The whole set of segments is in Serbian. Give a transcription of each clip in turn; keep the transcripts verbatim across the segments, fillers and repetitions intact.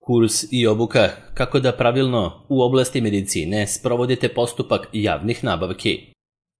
Kurs i obuka kako da pravilno u oblasti medicine sprovodite postupak javnih nabavki.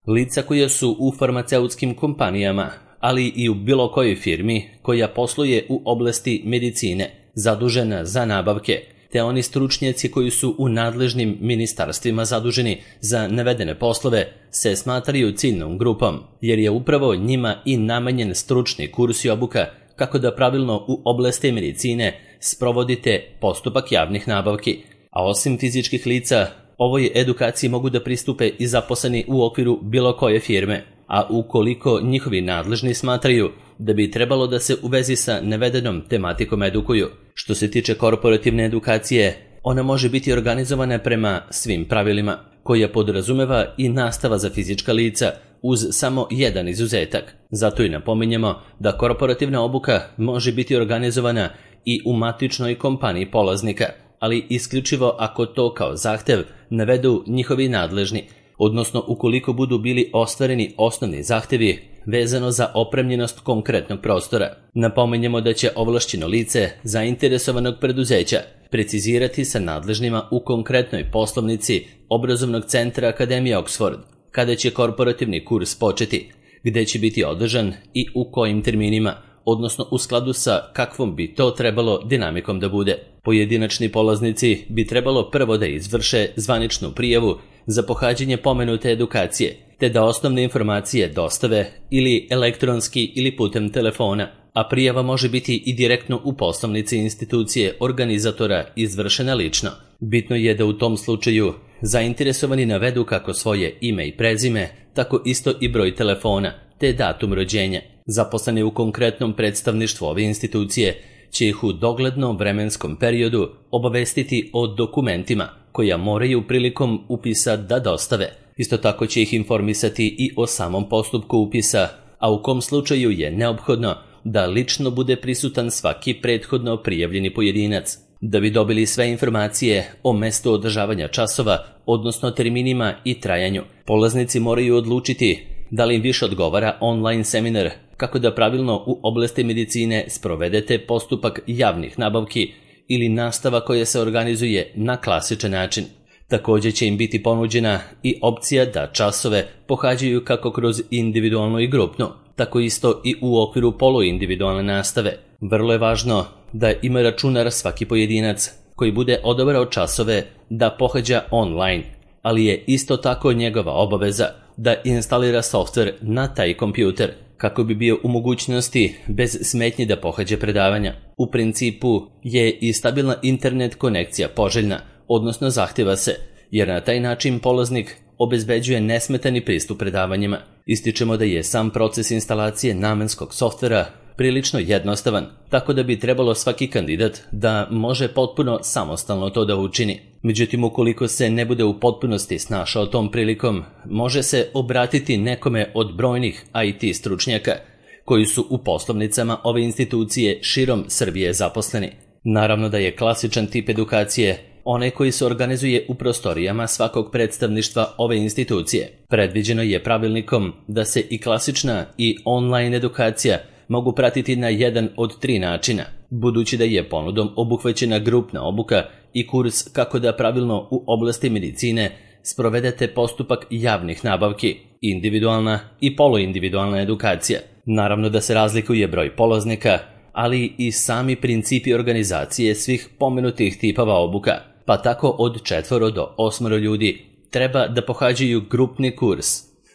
Lica koja su u farmaceutskim kompanijama, ali i u bilo kojoj firmi koja posluje u oblasti medicine, zadužena za nabavke, te oni stručnjaci koji su u nadležnim ministarstvima zaduženi za navedene poslove, se smatraju ciljnom grupom, jer je upravo njima i namenjen stručni kurs i obuka kako da pravilno u oblasti medicine sprovodite postupak javnih nabavki. A osim fizičkih lica, ovoj edukaciji mogu da pristupe i zaposleni u okviru bilo koje firme, a ukoliko njihovi nadležni smatraju da bi trebalo da se u vezi sa navedenom tematikom edukuju. Što se tiče korporativne edukacije, ona može biti organizovana prema svim pravilima, koja podrazumeva i nastava za fizička lica, uz samo jedan izuzetak. Zato i napominjemo da korporativna obuka može biti organizovana i u matičnoj kompaniji polaznika, ali isključivo ako to kao zahtev navedu njihovi nadležni, odnosno ukoliko budu bili ostvareni osnovni zahtevi vezano za opremljenost konkretnog prostora. Napominjemo da će ovlašćeno lice zainteresovanog preduzeća precizirati sa nadležnima u konkretnoj poslovnici obrazovnog centra Akademije Oxford kada će korporativni kurs početi, gde će biti održan i u kojim terminima, odnosno u skladu sa kakvom bi to trebalo dinamikom da bude. Pojedinačni polaznici bi trebalo prvo da izvrše zvaničnu prijavu za pohađanje pomenute edukacije, te da osnovne informacije dostave ili elektronski ili putem telefona, a prijava može biti i direktno u poslovnici institucije organizatora izvršena lično. Bitno je da u tom slučaju zainteresovani navedu kako svoje ime i prezime, tako isto i broj telefona, te datum rođenja. Zaposleni u konkretnom predstavništvu ove institucije će ih u doglednom vremenskom periodu obavestiti o dokumentima koja moraju prilikom upisa da dostave. Isto tako će ih informisati i o samom postupku upisa, a u kom slučaju je neophodno da lično bude prisutan svaki prethodno prijavljeni pojedinac. Da bi dobili sve informacije o mestu održavanja časova, odnosno terminima i trajanju, polaznici moraju odlučiti da li im više odgovara online seminar kako da pravilno u oblasti medicine sprovedete postupak javnih nabavki ili nastava koja se organizuje na klasičan način. Također će im biti ponuđena i opcija da časove pohađaju kako kroz individualnu i grupnu, tako isto i u okviru poluindividualne nastave. Vrlo je važno da ima računar svaki pojedinac koji bude odabrao časove da pohađa online, ali je isto tako njegova obaveza da instalira softver na taj kompjuter kako bi bio u mogućnosti bez smetnji da pohađa predavanja. U principu je i stabilna internet konekcija poželjna, odnosno zahtjeva se, jer na taj način polaznik obezbeđuje nesmetani pristup predavanjima. Ističemo da je sam proces instalacije namenskog softvera prilično jednostavan, tako da bi trebalo svaki kandidat da može potpuno samostalno to da učini. Međutim, ukoliko se ne bude u potpunosti snašao tom prilikom, može se obratiti nekome od brojnih I T stručnjaka koji su u poslovnicama ove institucije širom Srbije zaposleni. Naravno da je klasičan tip edukacije onaj koji se organizuje u prostorijama svakog predstavništva ove institucije. Predviđeno je pravilnikom da se i klasična i online edukacija mogu pratiti na jedan od tri načina, budući da je ponudom obuhvaćena grupna obuka i kurs kako da pravilno u oblasti medicine sprovedete postupak javnih nabavki, individualna i poluindividualna edukacija. Naravno da se razlikuje broj polaznika, ali i sami principi organizacije svih pomenutih tipova obuka, pa tako od četvoro do osmoro ljudi treba da pohađaju grupni kurs,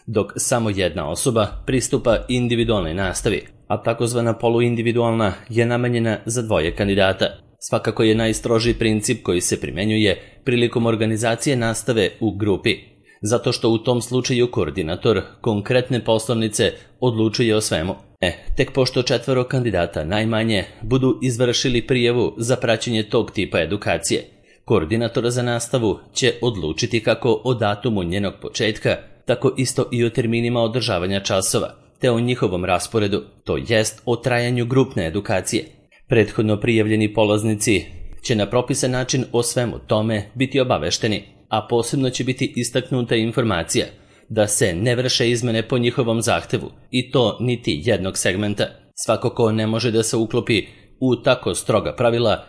dok samo jedna osoba pristupa individualnoj nastavi, a takozvana poluindividualna je namenjena za dvoje kandidata. Svakako je najstrožiji princip koji se primenjuje prilikom organizacije nastave u grupi, zato što u tom slučaju koordinator konkretne poslovnice odlučuje o svemu. E, tek pošto četvoro kandidata najmanje budu izvršili prijavu za praćenje tog tipa edukacije, koordinator za nastavu će odlučiti kako o datumu njenog početka, tako isto i o terminima održavanja časova, te o njihovom rasporedu, to jest o trajanju grupne edukacije. Prethodno prijavljeni polaznici će na propisan način o svemu tome biti obavešteni, a posebno će biti istaknuta informacija da se ne vrše izmene po njihovom zahtevu, i to niti jednog segmenta. Svako ko ne može da se uklopi u tako stroga pravila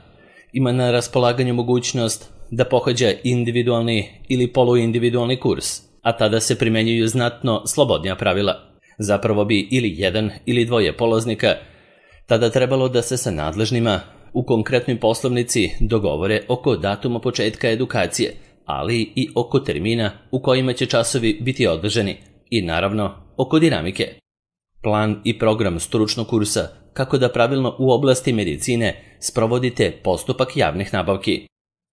ima na raspolaganju mogućnost da pohađa individualni ili poluindividualni kurs, a tada se primenjuju znatno slobodnija pravila. Zapravo bi ili jedan ili dvoje polaznika tada trebalo da se sa nadležnima u konkretnoj poslovnici dogovore oko datuma početka edukacije, ali i oko termina u kojima će časovi biti održani i naravno oko dinamike. Plan i program stručnog kursa kako da pravilno u oblasti medicine sprovodite postupak javnih nabavki.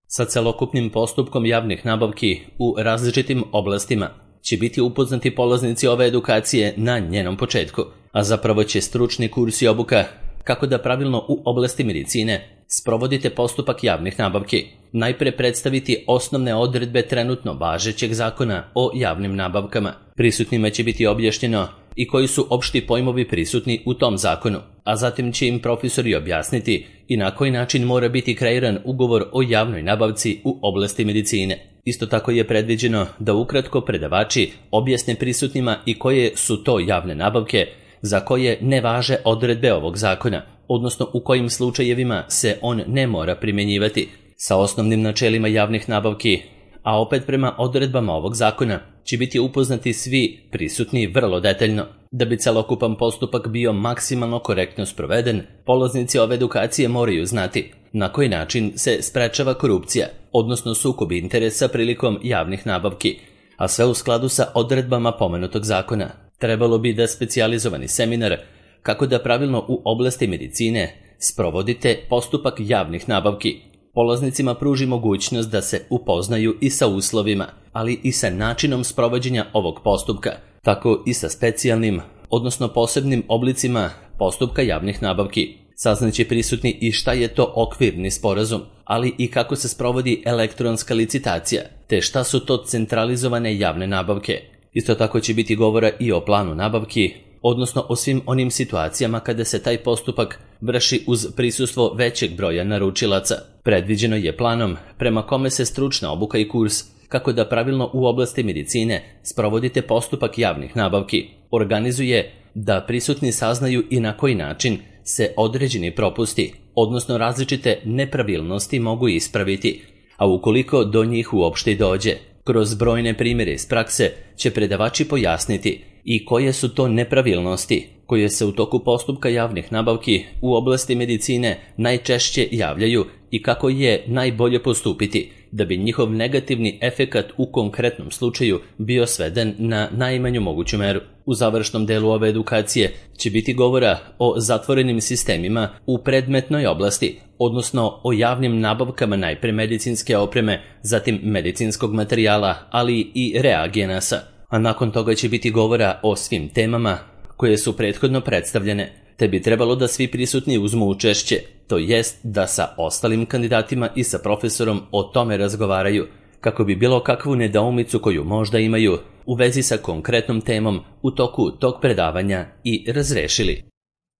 Sa celokupnim postupkom javnih nabavki u različitim oblastima će biti upoznati polaznici ove edukacije na njenom početku, a zapravo će stručni kurs i obuka kako da pravilno u oblasti medicine sprovodite postupak javnih nabavki najpre predstaviti osnovne odredbe trenutno važećeg zakona o javnim nabavkama. Prisutnima će biti objašnjeno i koji su opšti pojmovi prisutni u tom zakonu, a zatim će im profesori objasniti i na koji način mora biti kreiran ugovor o javnoj nabavci u oblasti medicine. Isto tako je predviđeno da ukratko predavači objasne prisutnima i koje su to javne nabavke za koje ne važe odredbe ovog zakona, odnosno u kojim slučajevima se on ne mora primjenjivati, sa osnovnim načelima javnih nabavki, a opet prema odredbama ovog zakona će biti upoznati svi prisutni vrlo detaljno. Da bi celokupan postupak bio maksimalno korektno sproveden, polaznici ove edukacije moraju znati na koji način se sprečava korupcija, odnosno sukob interesa prilikom javnih nabavki, a sve u skladu sa odredbama pomenutog zakona. Trebalo bi da specijalizovani seminar kako da pravilno u oblasti medicine sprovodite postupak javnih nabavki polaznicima pruži mogućnost da se upoznaju i sa uslovima, ali i sa načinom sprovođenja ovog postupka, tako i sa specijalnim, odnosno posebnim oblicima postupka javnih nabavki. Saznaće prisutni i šta je to okvirni sporazum, ali i kako se sprovodi elektronska licitacija, te šta su to centralizovane javne nabavke. Isto tako će biti govora i o planu nabavki, odnosno o svim onim situacijama kada se taj postupak vrši uz prisustvo većeg broja naručilaca. Predviđeno je planom prema kome se stručna obuka i kurs kako da pravilno u oblasti medicine sprovodite postupak javnih nabavki organizuje da prisutni saznaju i na koji način se određeni propusti, odnosno različite nepravilnosti mogu ispraviti, a ukoliko do njih uopšte dođe. Kroz brojne primjere iz prakse će predavači pojasniti i koje su to nepravilnosti koje se u toku postupka javnih nabavki u oblasti medicine najčešće javljaju i kako je najbolje postupiti da bi njihov negativni efekat u konkretnom slučaju bio sveden na najmanju moguću meru. U završnom delu ove edukacije će biti govora o zatvorenim sistemima u predmetnoj oblasti, odnosno o javnim nabavkama najpre medicinske opreme, zatim medicinskog materijala, ali i reagenasa. A nakon toga će biti govora o svim temama koje su prethodno predstavljene, te bi trebalo da svi prisutni uzmu učešće, to jest da sa ostalim kandidatima i sa profesorom o tome razgovaraju, kako bi bilo kakvu nedoumicu koju možda imaju u vezi sa konkretnom temom u toku tog predavanja i razrešili.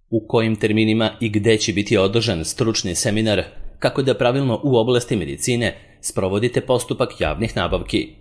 U kojim terminima i gde će biti održan stručni seminar kako da pravilno u oblasti medicine sprovodite postupak javnih nabavki.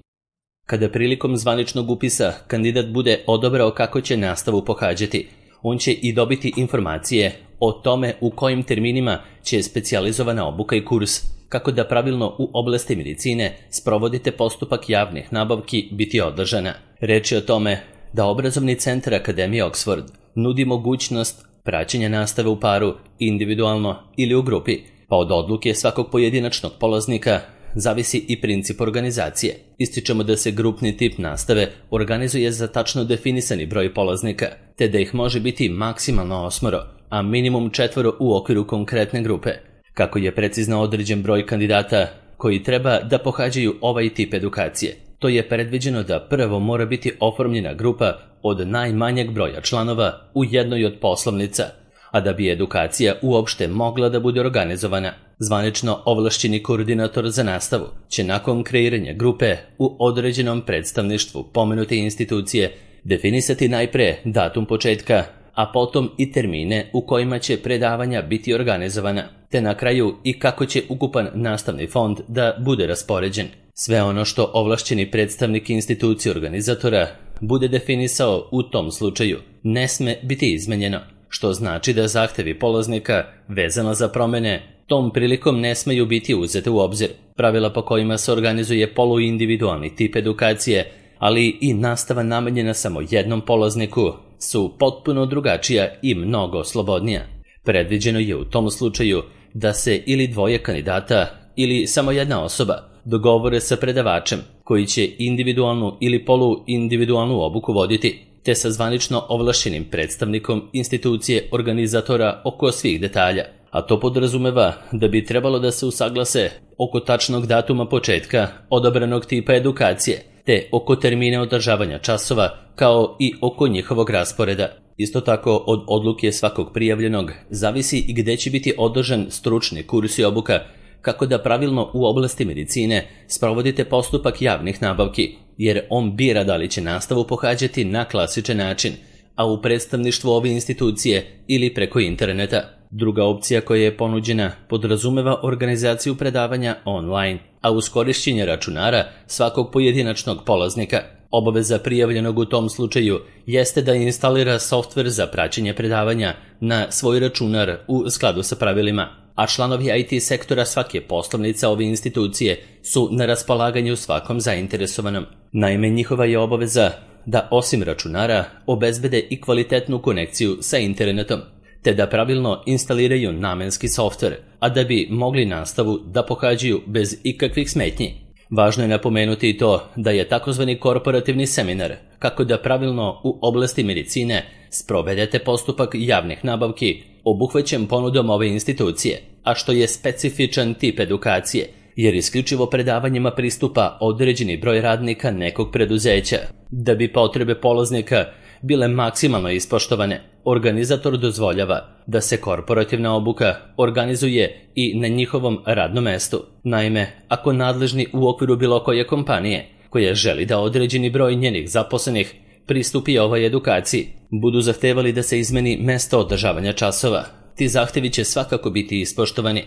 Kada prilikom zvaničnog upisa kandidat bude odabrao kako će nastavu pohađati, on će i dobiti informacije o tome u kojim terminima će specijalizovana obuka i kurs kako da pravilno u oblasti medicine sprovodite postupak javnih nabavki biti održana. Reč je o tome da obrazovni centar Akademije Oxford nudi mogućnost praćenja nastave u paru, individualno ili u grupi, pa od odluke svakog pojedinačnog polaznika zavisi i princip organizacije. Ističemo da se grupni tip nastave organizuje za tačno definisani broj polaznika, te da ih može biti maksimalno osmoro, a minimum četvoro u okviru konkretne grupe. Kako je precizno određen broj kandidata koji treba da pohađaju ovaj tip edukacije, to je predviđeno da prvo mora biti oformljena grupa od najmanjeg broja članova u jednoj od poslovnica, a da bi edukacija uopšte mogla da bude organizovana, zvanično ovlašćeni koordinator za nastavu će nakon kreiranja grupe u određenom predstavništvu pomenute institucije definisati najpre datum početka, a potom i termine u kojima će predavanja biti organizovana, te na kraju i kako će ukupan nastavni fond da bude raspoređen. Sve ono što ovlašćeni predstavnik institucije organizatora bude definisao u tom slučaju ne sme biti izmenjeno, što znači da zahtevi polaznika vezano za promene tom prilikom ne smeju biti uzete u obzir. Pravila po kojima se organizuje poluindividualni tip edukacije, ali i nastava namenjena samo jednom polazniku, su potpuno drugačija i mnogo slobodnija. Predviđeno je u tom slučaju da se ili dvoje kandidata ili samo jedna osoba dogovore sa predavačem koji će individualnu ili poluindividualnu obuku voditi, te sa zvanično ovlašćenim predstavnikom institucije organizatora oko svih detalja. A to podrazumeva da bi trebalo da se usaglase oko tačnog datuma početka odabranog tipa edukacije, te oko termina održavanja časova, kao i oko njihovog rasporeda. Isto tako, od odluke svakog prijavljenog zavisi i gde će biti održan stručni kurs i obuka, kako da pravilno u oblasti medicine sprovodite postupak javnih nabavki, jer on bira da li će nastavu pohađati na klasičan način, a u predstavništvu ove institucije ili preko interneta. Druga opcija koja je ponuđena podrazumeva organizaciju predavanja online, a uz korišćenje računara svakog pojedinačnog polaznika. Obaveza prijavljenog u tom slučaju jeste da instalira softver za praćenje predavanja na svoj računar u skladu sa pravilima, a članovi I T sektora svake poslovnice ove institucije su na raspolaganju svakom zainteresovanom. Naime, njihova je obaveza da osim računara obezbede i kvalitetnu konekciju sa internetom, te da pravilno instaliraju namenski softver, a da bi mogli nastavu da pohađaju bez ikakvih smetnji. Važno je napomenuti i to da je takozvani korporativni seminar, kako da pravilno u oblasti medicine sprovedete postupak javnih nabavki, obuhvaćen ponudom ove institucije, a što je specifičan tip edukacije, jer isključivo predavanjima pristupa određeni broj radnika nekog preduzeća. Da bi potrebe polaznika bile maksimalno ispoštovane, organizator dozvoljava da se korporativna obuka organizuje i na njihovom radnom mestu. Naime, ako nadležni u okviru bilo koje kompanije koja želi da određeni broj njenih zaposlenih pristupi ovoj edukaciji, budu zahtevali da se izmeni mesto održavanja časova, ti zahtevi će svakako biti ispoštovani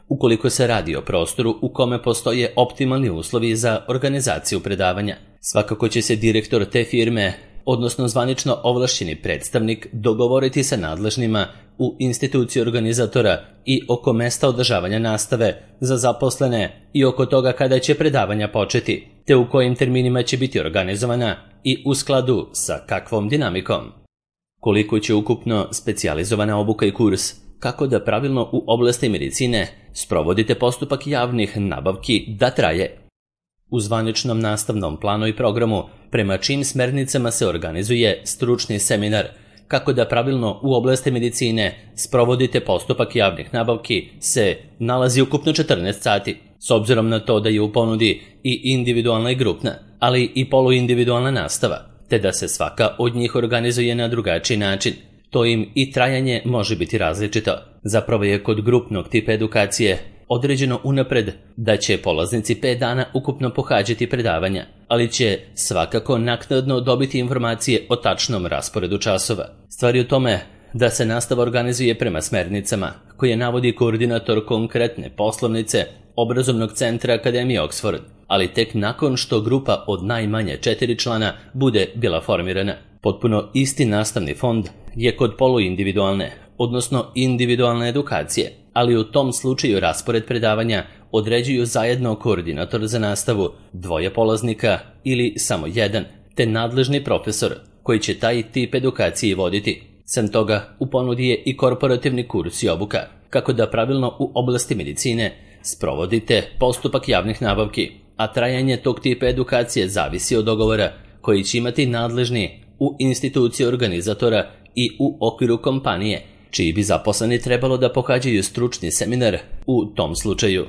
ukoliko se radi o prostoru u kome postoje optimalni uslovi za organizaciju predavanja. Svakako će se direktor te firme, odnosno zvanično ovlašćeni predstavnik, dogovoriti sa nadležnima u instituciji organizatora i oko mesta održavanja nastave za zaposlene i oko toga kada će predavanja početi, te u kojim terminima će biti organizovana i u skladu sa kakvom dinamikom. Koliko će ukupno specijalizovana obuka i kurs, kako da pravilno u oblasti medicine sprovodite postupak javnih nabavki da traje. U zvaničnom nastavnom planu i programu, prema čijim smernicama se organizuje stručni seminar, kako da pravilno u oblasti medicine sprovodite postupak javnih nabavki, se nalazi ukupno četrnaest sati, s obzirom na to da je u ponudi i individualna i grupna, ali i poluindividualna nastava, te da se svaka od njih organizuje na drugačiji način. To im i trajanje može biti različito. Zapravo je kod grupnog tipa edukacije određeno unapred da će polaznici pet dana ukupno pohađati predavanja, ali će svakako naknadno dobiti informacije o tačnom rasporedu časova. Stvar je u tome da se nastava organizuje prema smernicama koje navodi koordinator konkretne poslovnice obrazovnog centra Akademije Oxford, ali tek nakon što grupa od najmanje četiri člana bude bila formirana. Potpuno isti nastavni fond je kod poluindividualne, odnosno individualne edukacije, ali u tom slučaju raspored predavanja određuju zajedno koordinator za nastavu, dvoje polaznika ili samo jedan, te nadležni profesor koji će taj tip edukacije voditi. Sem toga, u ponudi je i korporativni kurs i obuka, kako da pravilno u oblasti medicine sprovodite postupak javnih nabavki, a trajanje tog tipa edukacije zavisi od dogovora koji će imati nadležni u instituciji organizatora i u okviru kompanije, čiji bi zaposleni trebalo da pohađaju stručni seminar u tom slučaju.